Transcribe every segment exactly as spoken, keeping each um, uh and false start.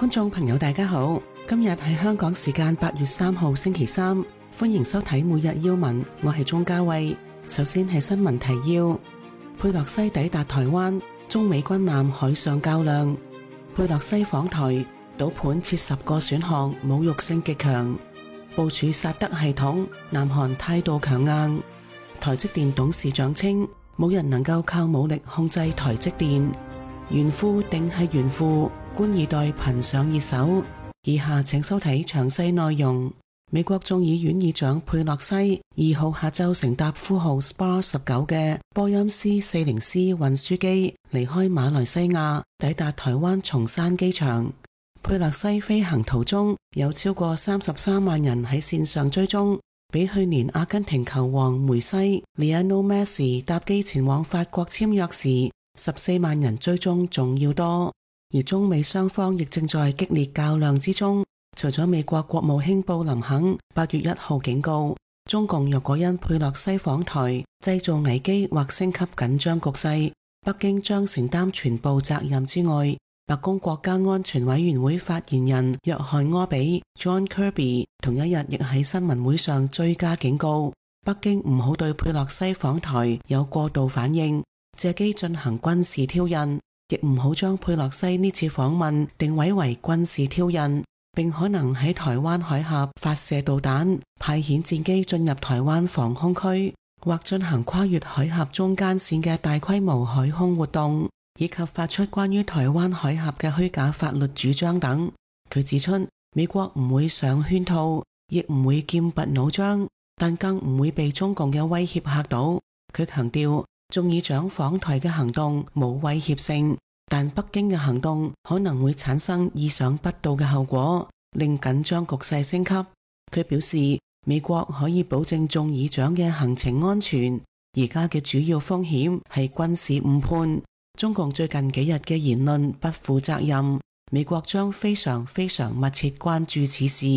觀眾朋友大家好，今日係香港時間八月三號星期三，歡迎收睇每日要聞，我係鍾嘉慧。首先係新聞提要：佩洛西抵達台灣，中美軍艦海上較量。佩洛西訪台，賭盤設十個選項，侮辱性極強。部署薩德系統，南韓態度強硬。台積電董事長稱，冇人能夠靠武力控制台積電。炫富定係炫富，官二代頻上熱搜。以下請收睇詳細內容。美國眾議院議長佩洛西二號下晝乘搭呼號 S P A R 十九嘅波音 C 四零 C 運輸機離開馬來西亞，抵達台灣松山機場。佩洛西飛行途中有超過三十三萬人喺線上追蹤，比去年阿根廷球王梅西 Lionel Messi 搭機前往法國簽約時十四萬人追蹤仲要多。而中美雙方亦正在激烈較量之中。除咗美國國務卿布林肯八月一號警告，中共若果因佩洛西訪台製造危機或升級緊張局勢，北京將承擔全部責任之外，白宮國家安全委員會發言人約翰柯比 John Kirby 同一日亦喺新聞會上追加警告，北京唔好對佩洛西訪台有過度反應，借機進行軍事挑釁，亦唔好將佩洛西呢次訪問定位為軍事挑釁，並可能喺台灣海峽發射導彈，派遣戰機進入台灣防空區，或進行跨越海峽中間線嘅大規模海空活動，以及發出關於台灣海峽嘅虛假法律主張等。佢指出，美國唔會上圈套，亦唔會劍拔弩張，但更唔會被中共嘅威脅嚇到。佢強調，眾議長訪台嘅行動冇威脅性，但北京嘅行動可能會產生意想不到嘅後果，令緊張局勢升級。佢表示，美國可以保證眾議長嘅行程安全，而家嘅主要風險係軍事誤判。中共最近幾日嘅言論不負責任，美國將非常非常密切關注此事。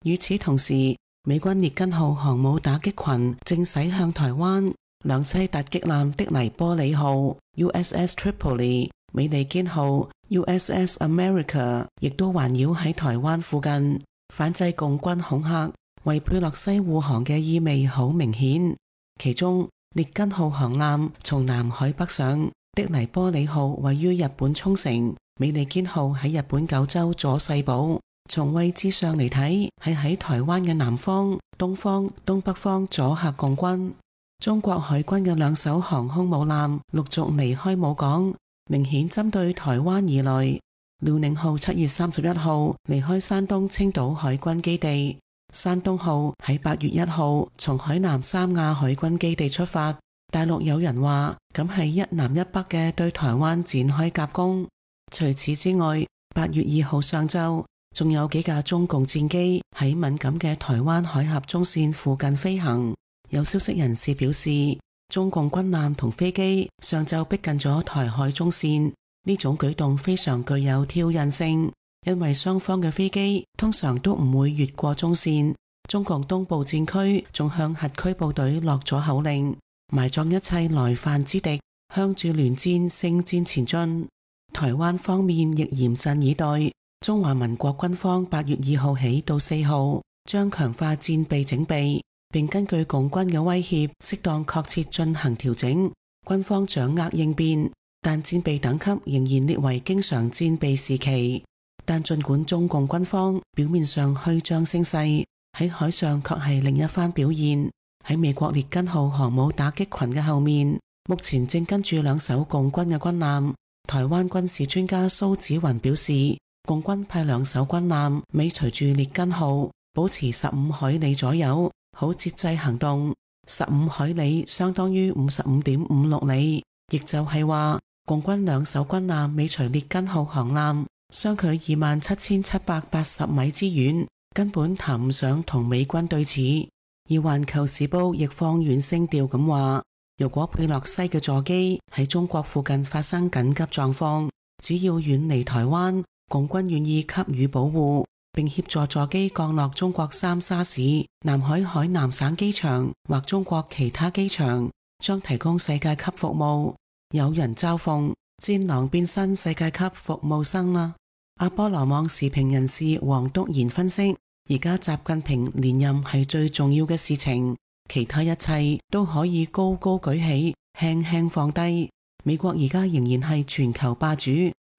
與此同時，美軍列根號航母打擊群正駛向台灣，兩棲突擊艦的黎波里號 U S S Tripoli、美利堅號 U S S America 亦都環繞喺台灣附近，反制共軍恐嚇，為佩洛西護航嘅意味好明顯。其中，列根號航艦從南海北上，的黎波里號位於日本沖繩，美利堅號喺日本九州佐世保。從位置上嚟睇，係喺台灣嘅南方、東方、東北方阻嚇共軍。中國海軍嘅兩艘航空母艦陸續離開母港，明顯針對台灣而來。遼寧號七月三十一號離開山東青島海軍基地，山東號喺八月一號從海南三亞海軍基地出發。大陸有人話，咁係一南一北嘅對台灣展開夾攻。除此之外，八月二號上晝仲有幾架中共戰機喺敏感嘅台灣海峽中線附近飛行。有消息人士表示，中共軍艦同飛機上晝逼近咗台海中線，呢種舉動非常具有挑釁性，因為雙方嘅飛機通常都唔會越過中線。中共東部戰區仲向核區部隊落咗口令，埋葬一切來犯之敵，向住聯戰勝戰前進。台灣方面亦嚴陣以待，中華民國軍方八月二號起到四號將強化戰備整備，並根據共軍嘅威脅適當確切進行調整，軍方掌握應變，但戰備等級仍然列為經常戰備時期。但盡管中共軍方表面上虛張聲勢，喺海上卻係另一番表現。喺美國列根號航母打擊群嘅後面，目前正跟住兩艘共軍嘅軍艦。台灣軍事專家蘇紫雲表示，共軍派兩艘軍艦尾隨住列根號，保持十五海里左右，好節制行動。十五海里相當於五十五點五六里，亦就係話，共軍兩艘軍艦尾隨列根號航艦，相距二萬七千七百八十米之遠，根本談唔上同美軍對峙。而環球時報亦放軟聲調咁話，如果佩洛西嘅座機喺中國附近發生緊急狀況，只要遠離台灣，共軍願意給予保護，並協助座機降落中國三沙市、南海海南省機場或中國其他機場，將提供世界級服務。有人嘲諷，戰狼變身世界級服務生啦。阿波羅網時評人士黃篤賢分析，而家習近平連任係最重要嘅事情，其他一切都可以高高舉起，輕輕放低。美國而家仍然係全球霸主，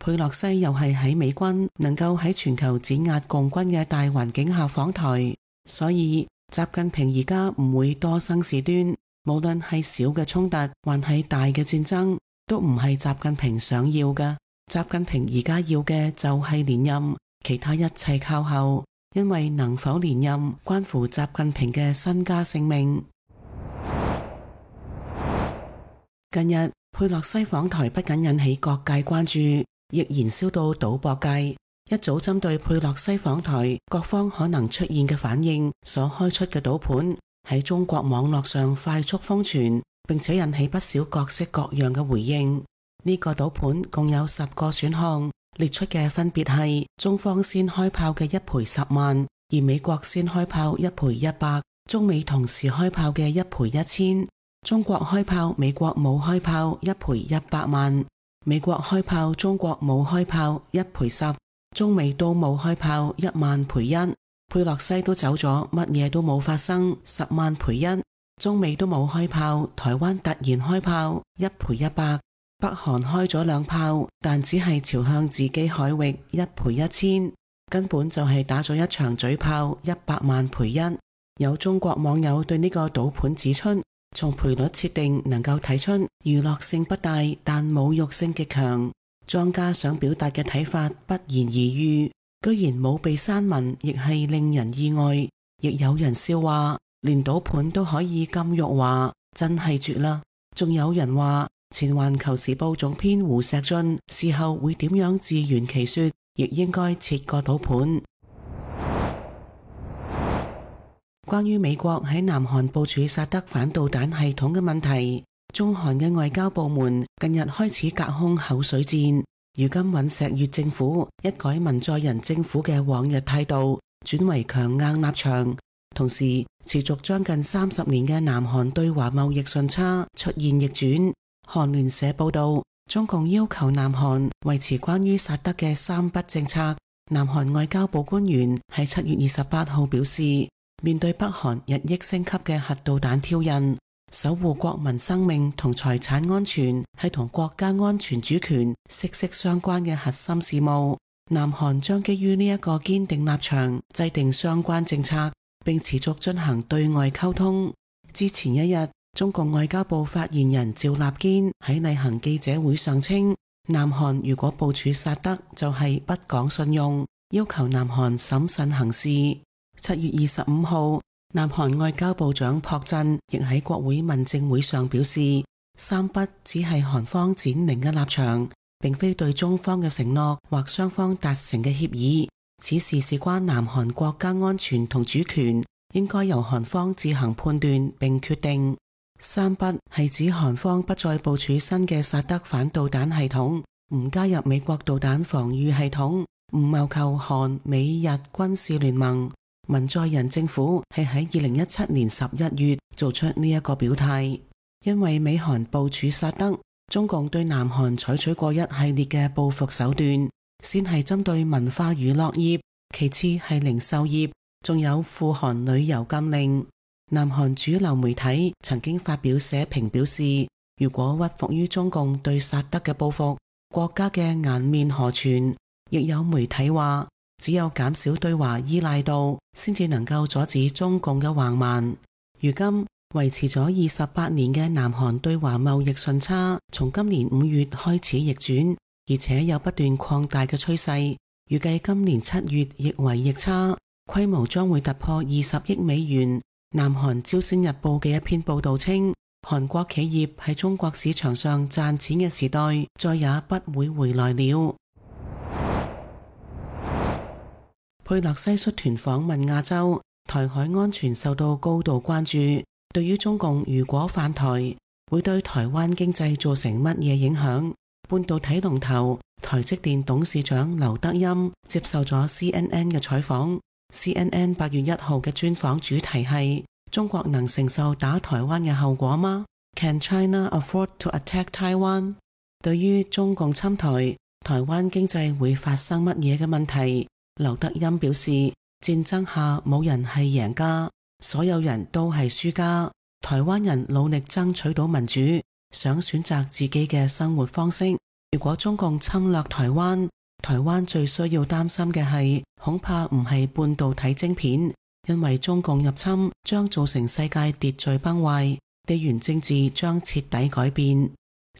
佩洛西又係喺美軍能夠喺全球碾壓共軍嘅大環境下訪台，所以習近平而家唔會多生事端。無論係小嘅衝突，還係大嘅戰爭，都唔係習近平想要嘅。習近平而家要嘅就係連任，其他一切靠後，因為能否連任關乎習近平嘅身家性命。近日佩洛西訪台不僅引起各界關注，亦燃燒到賭博界。一早針對佩洛西訪台各方可能出現嘅反應所開出嘅賭盤，喺中國網絡上快速瘋傳，並且引起不少各式各樣嘅回應。呢個賭盤共有十個選項，列出嘅分別係中方先開炮嘅一賠十萬，而美國先開炮一賠一百，中美同時開炮嘅一賠一千，中國開炮美國冇開炮一賠一百萬，美國開炮中國冇開炮一賠十，中美都冇開炮一萬賠一。佩洛西都走咗，乜嘢都冇發生，十萬賠一。中美都冇開炮，台灣突然開炮，一賠一百。北韓開咗兩炮，但只係朝向自己海域，一賠一千，根本就係打咗一場嘴炮，一百萬賠一。有中國網友對呢個賭盤指出，從賠率設定能夠睇出娛樂性不大，但侮辱性極強。莊家想表達嘅睇法不言而喻，居然冇被刪文，亦係令人意外。亦有人笑話，連賭盤都可以咁辱華，真係絕啦。仲有人話，前環球時報總編胡錫進事後會點樣自圓其說，亦應該設個賭盤。關於美國喺南韓部署薩德反導彈系統嘅問題，中韓嘅外交部門近日開始隔空口水戰。如今尹錫悅政府一改文在寅政府嘅往日態度，轉為強硬立場，同時持續將近三十年嘅南韓對華貿易順差出現逆轉。韓聯社報道，中共要求南韓維持關於薩德嘅三不政策。南韓外交部官員喺七月二十八號表示，面對北韓日益升級嘅核導彈挑釁，守護國民生命同財產安全係同國家安全主權息息相關嘅核心事務。南韓將基於呢一個堅定立場，制定相關政策，並持續進行對外溝通。之前一日，中共外交部發言人趙立堅喺例行記者會上稱，南韓如果部署薩德就係不講信用，要求南韓審慎行事。七月二十五號，南韓外交部長朴振亦喺國會問政會上表示，三不只係韓方展明嘅立場，並非對中方嘅承諾或雙方達成嘅協議。此事事關南韓國家安全同主權，應該由韓方自行判斷並決定。三不係指韓方不再部署新嘅薩德反導彈系統，唔加入美國導彈防禦系統，唔謀求韓美日軍事聯盟。文在寅政府係喺二零一七年十一月做出呢一個表態，因為美韓部署薩德，中共對南韓採取過一系列嘅報復手段，先係針對文化娛樂業，其次係零售業，仲有赴韓旅遊禁令。南韓主流媒體曾經發表社評表示，如果屈服於中共對薩德嘅報復，國家嘅顏面何存？亦有媒體話，只有減少對華依賴度，先至能夠阻止中共嘅橫蠻。如今維持咗二十八年嘅南韓對華貿易順差，從今年五月開始逆轉，而且有不斷擴大嘅趨勢。預計今年七月亦為逆差，規模將會突破二十億美元。南韓朝鮮日報嘅一篇報道稱，韓國企業喺中國市場上賺錢嘅時代再也不會回來了。佩洛西率團訪問亞洲，台海安全受到高度關注。對於中共如果犯台，會對台灣經濟造成乜嘢影響？半導體龍頭台積電董事長劉德音接受咗 C N N 嘅採訪。C N N 八月一號嘅專訪主題係：中國能承受打台灣嘅後果嗎？ Can China afford to attack Taiwan？ 對於中共侵台，台灣經濟會發生乜嘢嘅問題。劉德音表示，戰爭下冇人係贏家，所有人都係輸家。台灣人努力爭取到民主，想選擇自己嘅生活方式。如果中共侵略台灣，台灣最需要擔心嘅係，恐怕唔係半導體晶片，因為中共入侵將造成世界秩序崩壞，地緣政治將徹底改變。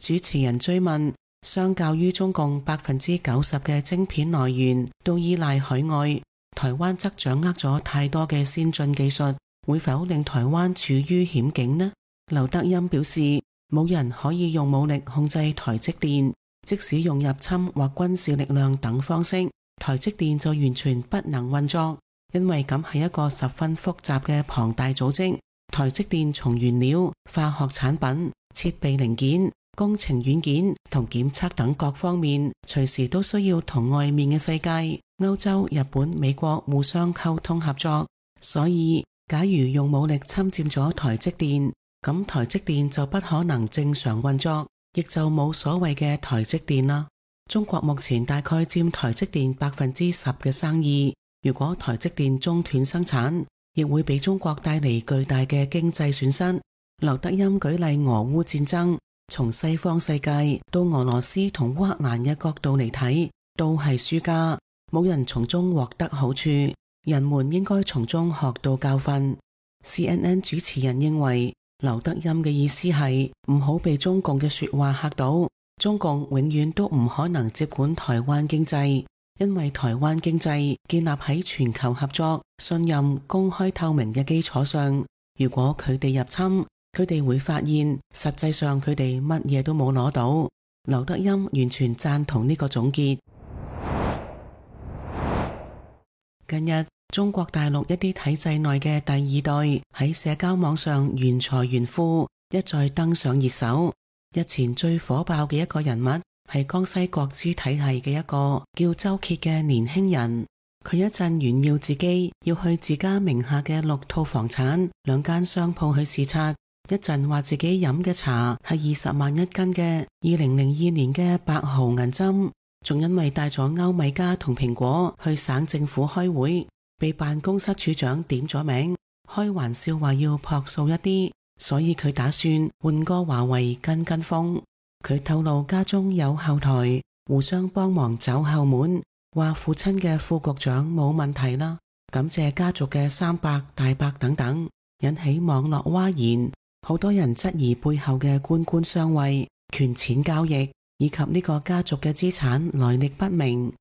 主持人追問，相較於中共百分之九十嘅晶片來源都依賴海外，台灣則掌握咗太多嘅先進技術，會否令台灣處於險境呢？劉德音表示，冇人可以用武力控制台積電，即使用入侵或軍事力量等方式，台積電就完全不能運作，因為咁係一個十分複雜嘅龐大組織。台積電從原料、化學產品、設備零件、工程軟件同檢測等各方面，隨時都需要同外面嘅世界、歐洲、日本、美國互相溝通合作。所以，假如用武力侵佔咗台積電，咁台積電就不可能正常運作，亦就冇所謂嘅台積電啦。中國目前大概佔台積電百分之十嘅生意，如果台積電中斷生產，亦會俾中國帶嚟巨大嘅經濟損失。劉德音舉例俄烏戰爭，從西方世界到俄羅斯同烏克蘭嘅角度嚟睇，都係輸家，冇人從中獲得好處，人們應該從中學到教訓。C N N 主持人認為，劉德音嘅意思係唔好被中共嘅說話嚇到，中共永遠都唔可能接管台灣經濟，因為台灣經濟建立喺全球合作、信任、公開透明嘅基礎上。如果佢哋入侵，佢哋會發現實際上佢哋乜嘢都冇攞到。劉德音完全贊同呢個總結。近日，中國大陸一啲體制內嘅第二代喺社交網上炫財炫富，一再登上熱搜。日前最火爆嘅一個人物係江西國資體系嘅一個叫周杰嘅年輕人。佢一陣炫耀自己要去自家名下嘅六套房產、兩間商鋪去視察，一陣話自己飲嘅茶係二十萬一斤嘅二零零二年嘅白毫銀針，仲因為帶咗歐米茄同蘋果去省政府開會，被辦公室處長點咗名，開玩笑話要樸素一啲，所以佢打算換個華為跟跟風。佢透露家中有後台，互相幫忙走後門，話父親嘅副局長冇問題啦，感謝家族嘅三伯大伯等等，引起網絡譁然。好多人質疑背後嘅官官相衛、權錢交易，以及呢個家族嘅資產來歷不明。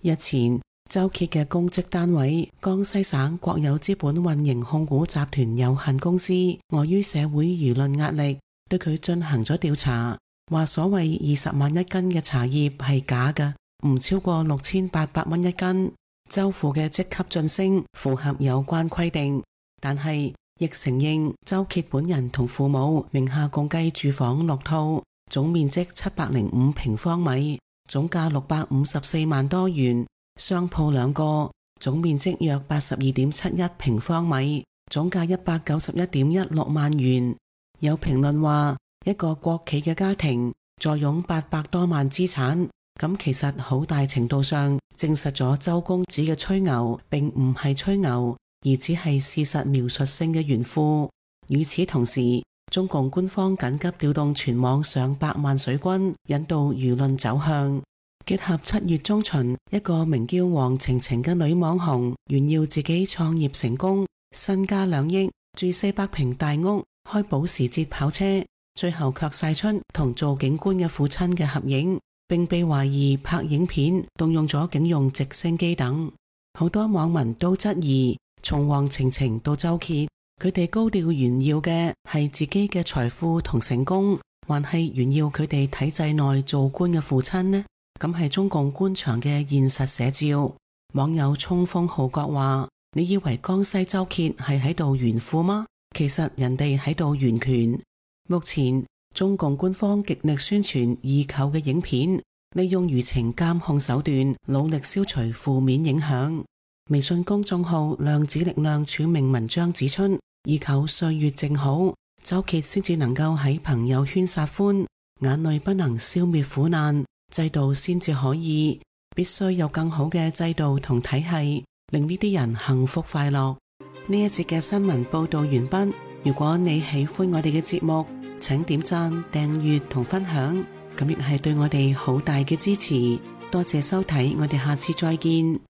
日前，周杰嘅公職單位江西省國有資本運營控股集團有限公司，礙於社會輿論壓力，對佢進行咗調查，話所謂二十萬一斤嘅茶葉係假嘅，唔超過六千八百蚊一斤。周父嘅職級晉升符合有關規定，但係亦承認周杰本人同父母名下共計住房六套，總面積七百零五平方米，總價六百五十四萬多元；商鋪兩個，總面積約八十二點七一平方米，總價一百九十一點一六萬元。有評論話，一個國企嘅家庭坐擁八百多萬資產，咁其實好大程度上證實咗周公子嘅吹牛並唔係吹牛，而只係事實描述性嘅炫富。與此同時，中共官方緊急調動全網上百萬水軍，引導輿論走向。結合七月中旬一個名叫黃晴晴嘅女網紅炫耀自己創業成功，身家兩億，住四百平大屋，開保時捷跑車，最後卻晒出同做警官嘅父親嘅合影，並被懷疑拍影片動用咗警用直升機等。好多網民都質疑，從黃晴晴到周杰，佢哋高調炫耀嘅係自己嘅財富同成功，還係炫耀佢哋體制內做官嘅父親呢？咁係中共官場嘅現實寫照。網友衝鋒號角話，你以為江西周杰係喺度炫富嗎？其實人哋喺度炫權。目前中共官方極力宣傳易購嘅影片，利用輿情監控手段努力消除負面影響。微信公眾號量子力量署名文章指出，易購歲月正好，周杰先至能夠喺朋友圈撒歡，眼淚不能消滅苦難，制度先至可以，必須有更好嘅制度同體系，令呢啲人幸福快樂。呢一節嘅新聞報道完畢。如果你喜歡我哋嘅節目，請點讚、訂閱同分享，咁亦係對我哋好大嘅支持。多謝收睇，我哋下次再見。